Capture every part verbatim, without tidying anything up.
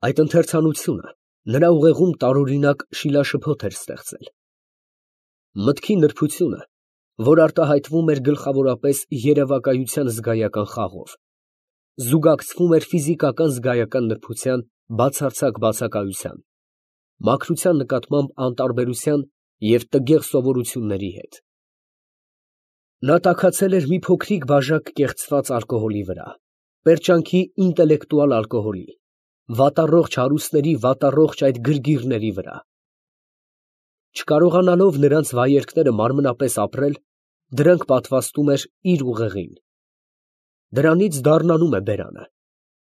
Այդ ընթերցանությունը նրա ուղեղում տարօրինակ շիլաշփոթ էր ստեղծել։ Մտքի նրբությունը, որ արտահայտվում էր գլխավորապես երևակայության զգայական խաղով, զուգակցվում էր ֆիզիկական զգայական նրբության բացարձակ բացակայության, մաքրության նկատմամբ անտարբերության և տգեղ սովորությունների հետ։ Նա տաքացել էր մի փոքրիկ բաժակ կեղծված ալկոհոլի վրա, պերճանքի ինտելեկտուալ ալկոհոլի, վատառողջ հարուստների վատառողջ այդ գրգիռների վրա։ Չկարողանալով նրանց վայելքները մարմնապես ապրել, դրանք պատվաստում էր իր ուղեղին։ Դրանից դառնանում է բերանը,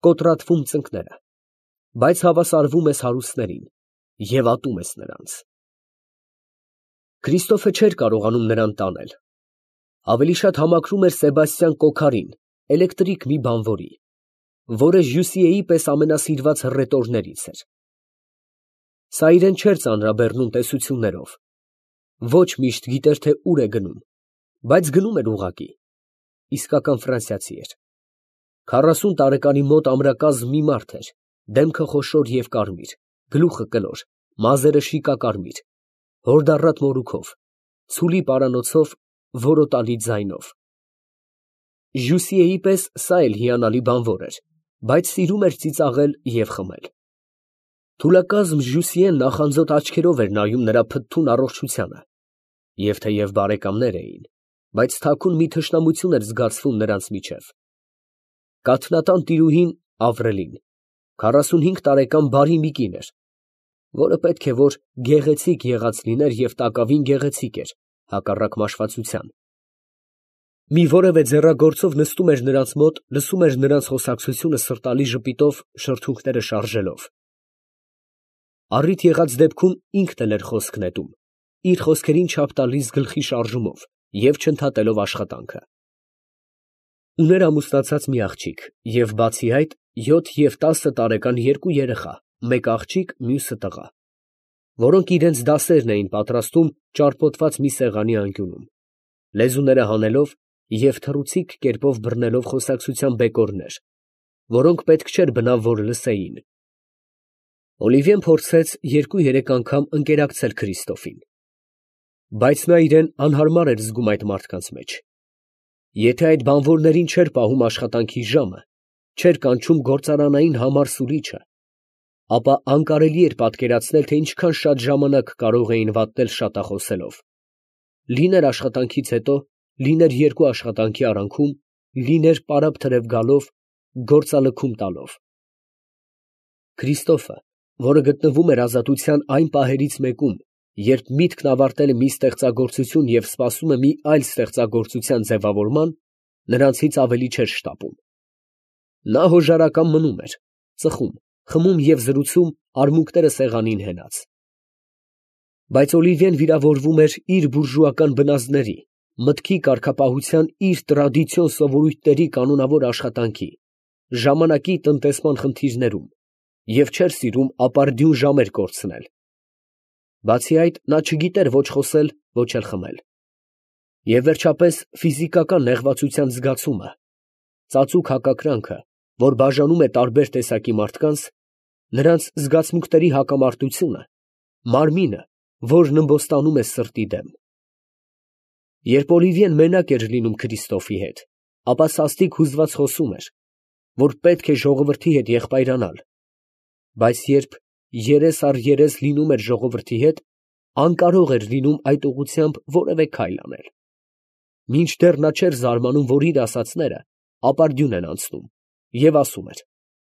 կոտրատվում ծնկները, բայց հավասարվում ես հարուստներին և ատում ես նրանց։ Քրիստոֆը չէր կարողանում նրան տանել, ավելի շատ համակրում էր Սեբաստիան Կոքարին, էլեկտրիկ մի բանվորի, որը Ժյուսիեի պես ամենասիրված հռետորներից էր։ Սա իրան չէր ծանրաբեռնում տեսություններով, ոչ միշտ գիտեր, թե ուր է գնում, բայց գնում էր ուղղակի, իսկական ֆրանսիացի էր։ Քառասուն տարեկանի մոտ ամրակազմ մի մարդ էր, դեմքը խոշոր և կարմիր, գլուխը կլոր, մազերը շիկակարմիր, հորդառատ մորուքով, ցուլի պարանոցով, որոտալի ձայնով։ Ժյուսիեի պես սա էլ հիանալի բանվոր էր, բայց սիրում էր ծիծաղել և խմել։ Թուլակազմ Ժյուսիեն նախանձոտ աչքերով էր նայում նրա փթթուն առողջությանը, և թեև բարեկամներ էին, բայց թաքուն մի թշնամություն էր զգացվում նրանց միջև։ Կաթնատան տիրուհին Ավրելին քառասունհինգ տարեկան բարի մի կին էր, որը պետք է որ գեղեցիկ եղած լիներ և տակավին գեղեցիկ էր, հակառակ մաշվածության։ Մի որևէ ձեռագործով նստում էր նրանց մոտ, լսում էր նրանց խոսակցությունը սրտալի ժպիտով, շրթունքները շարժելով։ Առիթ եղած դեպքում ինքն էլ էր խոսք նետում, իր խոսքերին չափ տալիս գլխի շարժումով և չընդհատելով աշխատանքը։ Ուներ ամուսնացած մի աղջիկ և բացի այդ յոթ և տասը տարեկան երկու երեխա, մեկ աղջիկ, մյուսը տղա, որոնք իրանց դասերն էին պատրաստում ճարպոտված մի սեղանի անկյունում, լեզուները հանելով և թռուցիկ կերպով բռնելով խոսակցության բեկորներ, որոնք պետք չէր բնավ որ լսեին։ Օլիվիեն փորձեց երկու֊երեք անգամ ընկերակցել Քրիստոֆին, բայց նա իրան անհարմար էր զգում այդ մարդկանց մեջ։ Եթե այդ բանվորներին չէր պահում աշխատանքի ժամը, չէր կանչում գործարանային համար սուրիչը, ապա անկարելի էր պատկերացնել, թե ինչքան շատ ժամանակ կարող էին վատնել շատախոսելով, լիներ աշխատանքից հետո, լիներ երկու աշխատանքի արանքում, լիներ պարապ֊թրև գալով, գործալքում տալով։ Քրիստոֆը, որը գտնվում էր ազատության այն պահերից մեկում, երբ միտքն ավարտել է մի ստեղծագործություն և սպասում է մի այլ ստեղծագործության ձևավորման, նրանցից ավելի չէր շտապում։ Նա հոժարակամ մնում էր, ծխում, խմում և զրուցում արմունկները սեղանին հենած։ Բայց Օլիվիեն վիրավորվում էր իր բուրժուական բնազդների, մտքի կարգապահության իր տրադիցիոն սովորույթների կանոնավոր աշխատանքի, ժամանակի տնտեսման խնդիրներում և չէր սիրում ապարդյուն ժամեր կորցնել։ Բացի այդ, նա չգիտեր ոչ խոսել, ոչ էլ խմել։ Եվ վերջապես ֆիզիկական նեղվածության զգացումը, ծածուկ հակակրանքը, որ բաժանում է տարբեր տեսակի մարդկանց, նրանց զգացմունքների հակամարտությունը, մարմինը, որն ըմբոստանում է սրտի դեմ։ Երբ Օլիվիեն մենակ էր լինում Քրիստոֆի հետ, ապա սաստիկ հուզված խոսում էր, որ պետք է ժողովրդի հետ եղբայրանալ, բայց երբ երես առ երես լինում էր ժողովրդի հետ, անկարող էր լինում այդ ուղղությամբ որևէ քայլ անել։ Մինչդեռ նա չէր զարմանում, որ իր ասածները ապարդյուն են անցնում, և ասում էր.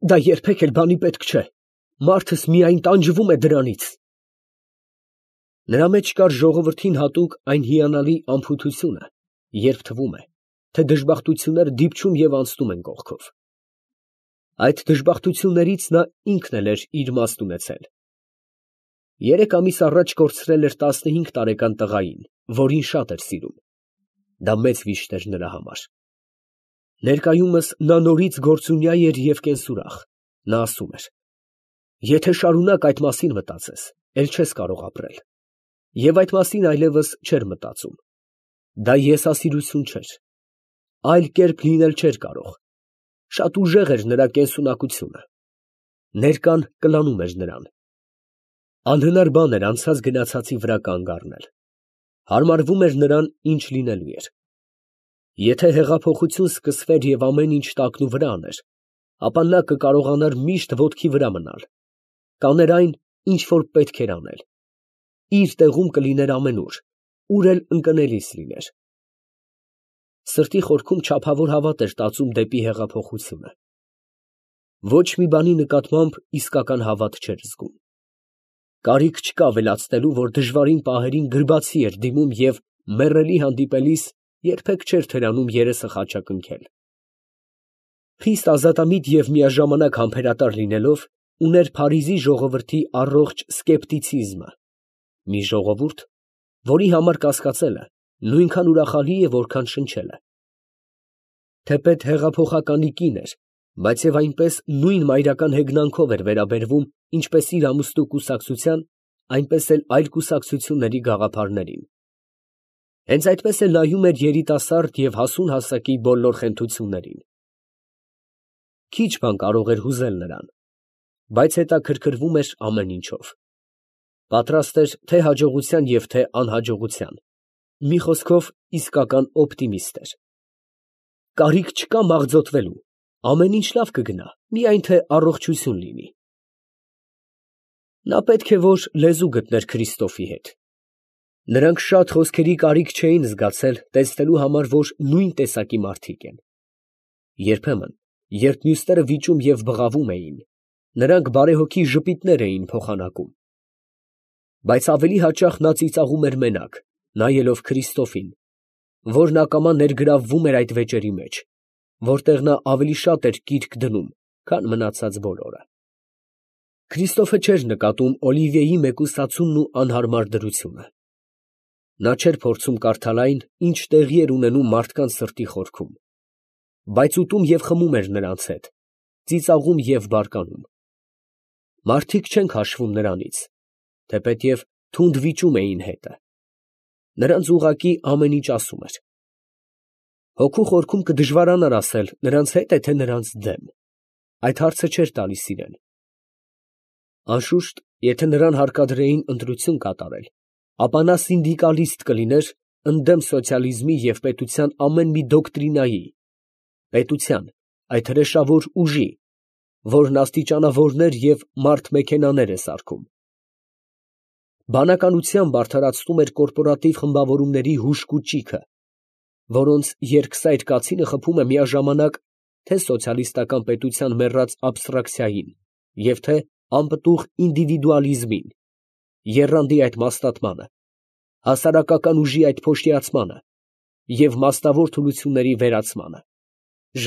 «Դա երբեք էլ բանի պետք չէ, մարդս միայն տանջվում է դրանից»։ Նրա մեջ կար ժողովրդին հատուկ այն հիանալի անփութությունը, երբ թվում է, թե դժբախտությունները դիպչում և անցնում են կողքով։ Այդ դժբախտություններից նա ինքն էլ էր իր մասն ունեցել։ Երեք ամիս առաջ կորցրել էր տասնհինգ տարեկան տղային, որին շատ էր սիրում։ Դա մեծ վիշտ էր նրա համար։ Ներկայումս նա նորից գործունյա էր և կենսուրախ։ Նա ասում էր. «Եթե շարունակ այդ մասին մտածես, էլ չես կարող ապրել»։ Եվ այդ մասին այլևս չէր մտածում։ Դա եսասիրություն չէր։ Այլ կերպ լինել չէր կարող։ Շատ ուժեղ էր նրա կենսունակությունը։ Ներկան կլանում էր նրան։ Անհնար բան էր անցած գնացածի վրա կանգ առնել։ Հարմարվում էր նրան, ինչ լինելու էր։ Եթե հեղափոխություն սկսվեր և ամեն ինչ տակնուվրա աներ, ապա նա կկարողանար միշտ ոտքի վրա մնալ, կաներ այն, ինչ որ պետք էր անել, իր տեղում կլիներ ամենուր, ուր էլ ընկնելիս լիներ։ Սրտի խորքում չափավոր հավատ էր տածում դեպի հեղափոխությունը։ Ոչ մի բանի նկատմամբ իսկական հավատ չէր զգում։ Կարիք չկա ավելացնելու, որ դժվարին պահերին գրբացի էր դիմում և մեռելի հանդիպելիս երբեք չէր թերանում երեսը խաչակնքել։ Խիստ ազատամիտ և միաժամանակ համբերատար լինելով, ուներ Փարիզի ժողովրդի առողջ սկեպտիցիզմը, մի ժողովուրդ, որի համար կասկածելը նույնքան ուրախալի է, որքան շնչելը։ Թեպետ հեղափոխականի կին էր, բայց և այնպես նույն մայրական հեգնանքով էր վերաբերվում ինչպես իր ամուսնու կուսակցության, այնպես էլ այլ կուսակցությունների գաղափարներին։ Հենց այդպես էլ նայում էր երիտասարդ և հասուն հասակի բոլոր խենթություններին։ Քիչ բան կարող էր հուզել նրան, բայց հետաքրքրվում էր ամեն ինչով։ Պատրաստ էր թե հաջողության և թե անհաջողության, մի խոսքով իսկական օպտիմիստ էր։ Կարիք չկա մաղձոտվելու, ամեն ինչ լավ կգնա, միայն թե առողջություն լինի։ Նա պետք է որ լեզու գտներ Քրիստոֆի հետ։ Նրանք շատ խոսքերի կարիք չէին զգացել տեսնելու համար, որ նույն տեսակի մարդիկ են։ Երբեմն, երբ մյուսները վիճում և բղավում էին, նրանք բարեհոգի ժպիտներ էին փոխանակում։ Բայց ավելի հաճախ նա ծիծաղում էր մենակ, նայելով Քրիստոֆին, որն ակամա ներգրավվում էր այդ վեճերի մեջ, որտեղ նա ավելի շատ էր կիրք դնում, քան մնացած բոլորը։ Քրիստոֆը չէր նկատում Օլիվիեի մեկուսացումն ու անհարմար դրությունը։ Նա չէր փորձում կարդալ այն, ինչ տեղի էր ունենում մարդկանց սրտի խորքում, բայց ուտում և խմում էր նրանց հետ, ծիծաղում և բարկանում։ Մարդիկ չեն քաշվում նրանից, թեպետև թունդ վիճում էին հետը։ Նրանց ուղղակի ամեն ինչ ասում էր։ Հոգու խորքում կդժվարանար ասել նրանց հետ է, թե նրանց դեմ, այդ հարցը չէր տալիս իրան։ Անշուշտ, եթե նրան հարկադրեին ընտրություն կատարել, ապա նա սինդիկալիստ կլիներ ընդդեմ սոցիալիզմի և պետության ամեն մի դոկտրինայի, պետության, այդ հրեշավոր ուժի, որն աստիճանավորներ և մարդ֊մեքենաներ է սարքում։ Բանականությամբ արդարացնում էր կորպորատիվ խմբավորումների հուժկու ճիգը, որոնց երկսայր կացինը խփում է միաժամանակ թե սոցիալիստական պետության մեռած աբստրակցիային և թե անպտուղ ինդիվիդուալիզմին, եռանդի այդ մաստատմանը, հասարակական ուժի այդ փոշիացմանը և մաստավոր թուլությունների վերացմանը,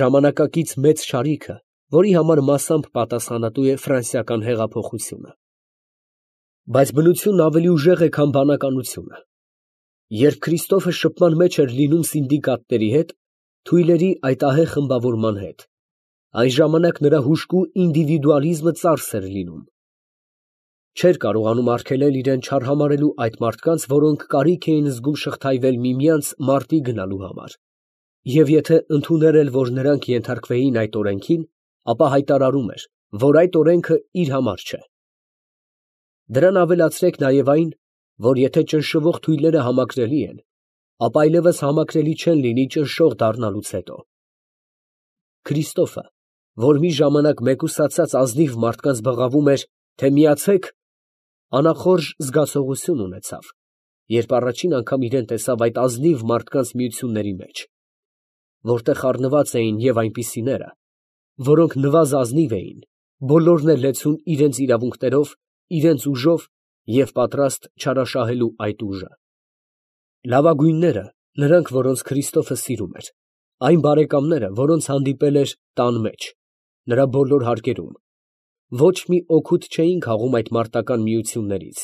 ժամանակակից մեծ շարիքը, որի համար մասամբ պատասխանատու է ֆրանսիական հեղափոխությունը։ Բայց բնությունն ավելի ուժեղ է, քան բանականությունը։ Երբ Քրիստոֆը շփման մեջ էր լինում սինդիկատների հետ, թույլերի այդ ահեղ խմբավորման հետ, այն ժամանակ նրա հուժկու ինդիվիդուալիզմը ծարս էր լինում։ Չէր կարողանում արգելել իրան չարհամարհելու այդ մարդկանց, որոնք կարիք էին զգում շղթայվել միմյանց մարտի գնալու համար, և եթե ընդուներ էլ, որ նրանք ենթարկվեին այդ օրենքին, ապա հայտարարում էր, որ այդ օրենքը իր համար չէ։ Դրան ավելացրեք նաև այն, որ եթե ճնշվող թույլերը համակրելի են, ապա այլևս համակրելի չեն լինի ճնշող դառնալուց հետո։ Քրիստոֆը, որ մի ժամանակ մեկուսացած ազնիվ մարդկանց բղավում էր, թե միացե՛ք, անախորժ զգացողություն ունեցավ, երբ առաջին անգամ իրան տեսավ այդ ազնիվ մարդկանց միությունների մեջ, որտեղ խառնված էին և այնպիսիները, որոնք նվազազնիվ էին, բոլորն էլ լեցուն իրենց իրավունքներով, իրենց ուժով և պատրաստ չարաշահելու այդ ուժը։ Լավագույնները, նրանք, որոնց Քրիստոֆը սիրում էր, այն բարեկամները, որոնց հանդիպել էր տան մեջ, նրա բոլոր հարկերում, ոչ մի օգուտ չէին քաղում այդ մարտական միություններից։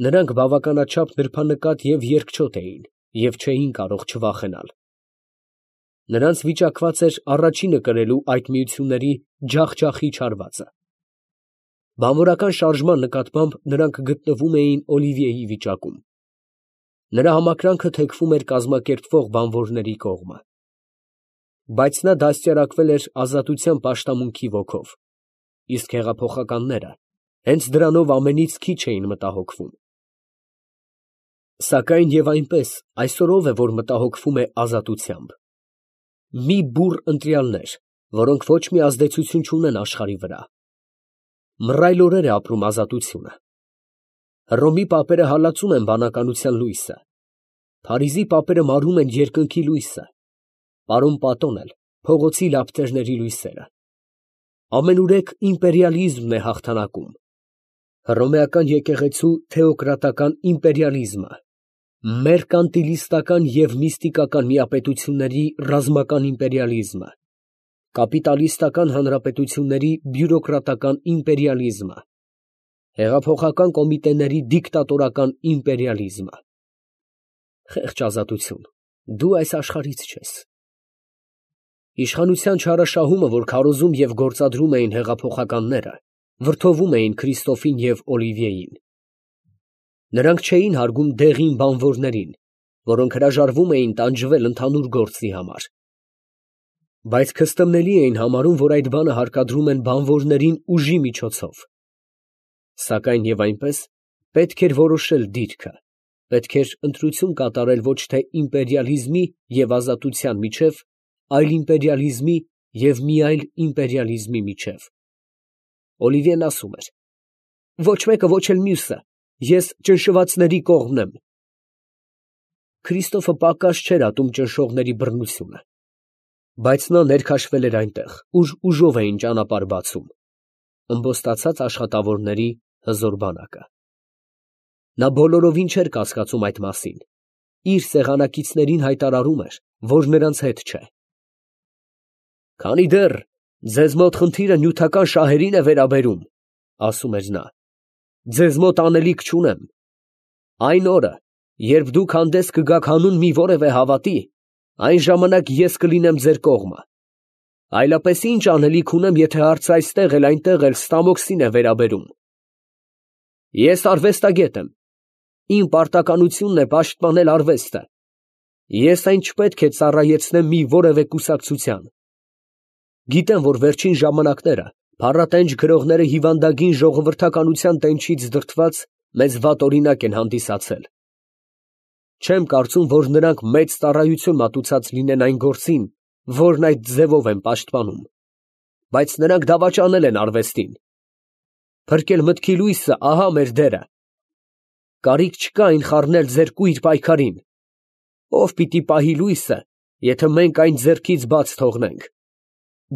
Նրանք բավականաչափ նրբանկատ և երկչոտ էին և չէին կարող չվախենալ։ Նրանց վիճակված էր առաջինը կրելու այդ միությունների ջախջախիչ հարվածը։ Բանվորական շարժման նկատմամբ նրանք գտնվում էին Օլիվիեի վիճակում։ Նրա համակրանքը թեքվում էր կազմակերպվող բանվորների կողմը։ Բայց նա դաստիարակվել էր ազատության պաշտամունքի ոգով։ իսկ հեղափոխականները հենց դրանով ամենից քիչ էին մտահոգվում։ Սակայն և այնպես, այսօր ո՞վ է, որ մտահոգվում է ազատությամբ։ Մի բուռ ընտրյալներ, որոնք ոչ մի ազդեցություն չունեն աշխարհի վրա։ Մռայլ օրեր է ապրում ազատությունը։ Հռոմի պապերը հալածում են բանականության լույսը, Փարիզի պապերը մարում են երկնքի լույսը, պարոն Պատոն էլ փողոցի լապտերների լույսերը։ Ամենուրեք իմպերիալիզմն է հաղթանակում։ Հռոմեական եկեղեցու թեոկրատական իմպերիալիզմը, մերկանտիլիստական և միստիկական միապետությունների ռազմական իմպերիալիզմը, կապիտալիստական հանրապետությունների բյուրոկրատական իմպերիալիզմը, հեղափոխական կոմիտեների դիկտատորական իմպերիալիզմը։ Խեղճ ազատություն, դու այս աշխարհից չես։ Իշխանության չարաշահումը, որ քարոզում և գործադրում էին հեղափոխականները, վրդովում էին Քրիստոֆին և Օլիվիեին։ Նրանք չէին հարգում դեղին բանվորներին, որոնք հրաժարվում էին տանջվել ընդհանուր գործի համար, բայց քստմնելի էին համարում, որ այդ բանը հարկադրում են բանվորներին ուժի միջոցով։ Սակայն և այնպես պետք էր որոշել դիրքը, պետք էր ընտրություն կատարել ոչ թե իմպերիալիզմի և ազատության միջև, այլ իմպերիալիզմի և մի այլ իմպերիալիզմի միջև։ Օլիվիեն ասում էր. «Ոչ մեկը, ոչ էլ մյուսը, ես ճնշվածների կողմն եմ»։ Քրիստոֆը պակաս չէր ատում ճնշողների բռնությունը, բայց նա ներքաշվել էր այնտեղ, ուր ուժով էին ճանապարհ բացում ըմբոստացած աշխատավորների հզոր բանակը։ Նա բոլորովին չէր կասկածում այդ մասին, իր սեղանակիցներին հայտարարում էր, որ նրանց հետ չէ։ «Քանի դեռ ձեզ մոտ խնդիրը նյութական շահերին է վերաբերում, ֊ ասում էր նա, ֊ ձեզ մոտ անելիք չունեմ։ Այն օրը, երբ դուք հանդես կգաք հանուն մի որևէ հավատի, այն ժամանակ ես կլինեմ ձեր կողմը։ Այլապես ի՞նչ անելիք ունեմ, եթե հարցը այստեղ էլ այնտեղ էլ ստամոքսին է վերաբերում։ Ես արվեստագետ եմ, իմ պարտականությունն է պաշտպանել արվեստը, ես այն չպետք է ծառայեցնեմ մի որևէ կուսակցության։ Գիտեմ, որ վերջին ժամանակները փառատենչ գրողները հիվանդագին ժողովրդականության տենչից դրդված մեզ վատ օրինակ են հանդիսացել։ Չեմ կարծում, որ նրանք մեծ ծառայություն մատուցած լինեն այն գործին, որն այդ ձևով են պաշտպանում, բայց նրանք դավաճանել են արվեստին։ Փրկել մտքի լույսը, ահա մեր դերը։ Կարիք չկա այն խառնել ձեր կույր պայքարին։ Ո՞վ պիտի պահի լույսը, եթե մենք այն ձեռքից բաց թողնենք։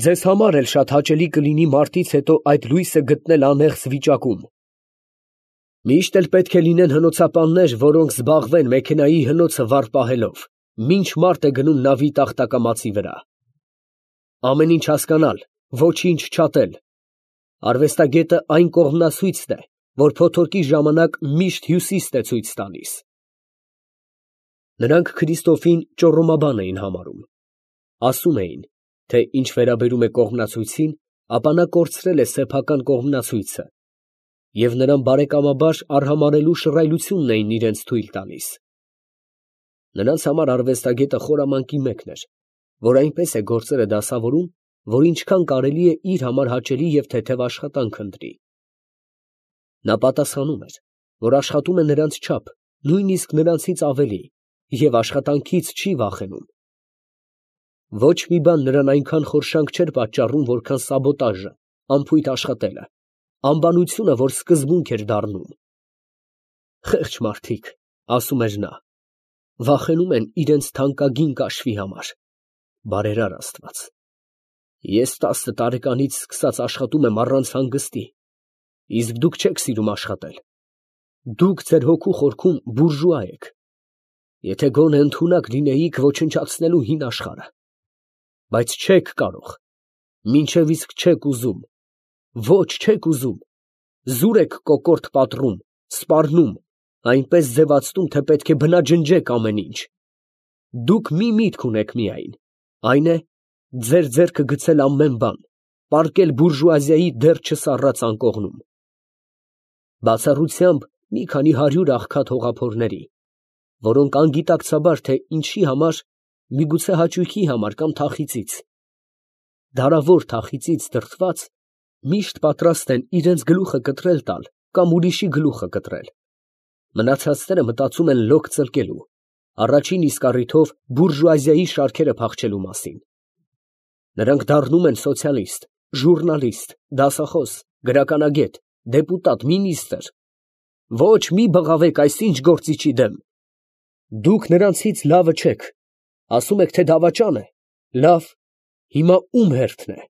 Ձեզ համար էլ շատ հաճելի կլինի մարտից հետո այդ լույսը գտնել անեղծ վիճակում։ Միշտ էլ պետք է լինեն հնոցապաններ, որոնք զբաղվեն մեքենայի հնոցը վառ պահելով, մինչ մարդ է գնում նավի տախտակամածի վրա։ Ամեն ինչ հասկանալ, ոչինչ չատել։ Արվեստագետը այն կողմնասույցն է, որ փոթորկի ժամանակ միշտ հյուսիսն է ցույց տալիս։ Նրանք Քրիստոֆին ճոռոմաբան էին համարում։ Ասում էին, թե ինչ վերաբերում է կողմնացույցին, ապա նա կորցրել է սեփական կողմնացույցը, և նրան բարեկամաբար արհամարհելու շռայլությունն էին իրենց թույլ տալիս։ Նրանց համար արվեստագետը խորամանկի մեկն էր, որ այնպես է գործերը դասավորում, որ ինչքան կարելի է իր համար հաճելի և թեթև աշխատանք ընտրի։ Նա պատասխանում էր, որ աշխատում է նրանց չափ, նույնիսկ նրանցից ավելի, և աշխատանքից չի վախենում։ Ոչ մի բան նրան այնքան խորշանք չէր պատճառում, որքան սաբոտաժը, անփույթ աշխատելը, անբանությունը, որ սկզբունք էր դառնում։ Խեղճ մարդիկ, ասում էր նա, վախենում են իրենց թանկագին կաշվի համար։ Բարերար Աստված, ես տասը տարեկանից սկսած աշխատում եմ առանց հանգստի, իսկ դուք չեք սիրում աշխատել։ Դուք ձեր հոգու խորքում բուրժուա եք։ Եթե գոնե ընդունակ լինեիք ոչնչացնելու հին աշխարհը, բայց չեք կարող, մինչև իսկ չեք ուզում, ոչ չեք ուզում, զուր եք կոկորդ պատռում, սպառնում, այնպես ձևացնում, թե պետք է բնաջնջեք ամեն ինչ։ Դուք մի միտք ունեք միայն, այն է ձեր ձեռքը գցել ամեն բան, պառկել բուրժուազիայի դեռ չսառած անկողնում։ Բացառությամբ մի քանի հարյուր աղքատ հողափորների, որոնք անգիտակցաբար, թե ինչի համար, միգուցե հաճույքի համար կամ թախիծից, դարավոր թախիծից դրդված, միշտ պատրաստ են իրանց գլուխը կտրել տալ կամ ուրիշի գլուխը կտրել. մնացածները մտածում են լոկ ծլկելու, առաջին իսկ առիթով բուրժուազիայի շարքերը փախչելու մասին. նրանք դառնում են սոցիալիստ, ժուռնալիստ, դասախոս, գրականագետ, դեպուտատ, մինիստր. ոչ մի բղավեք այս ինչ գործիչի դեմ. դուք նրանցից լավը չեք, ասում եք, թե դավաճան է, լավ, հիմա ո՞ւմ հերթն է։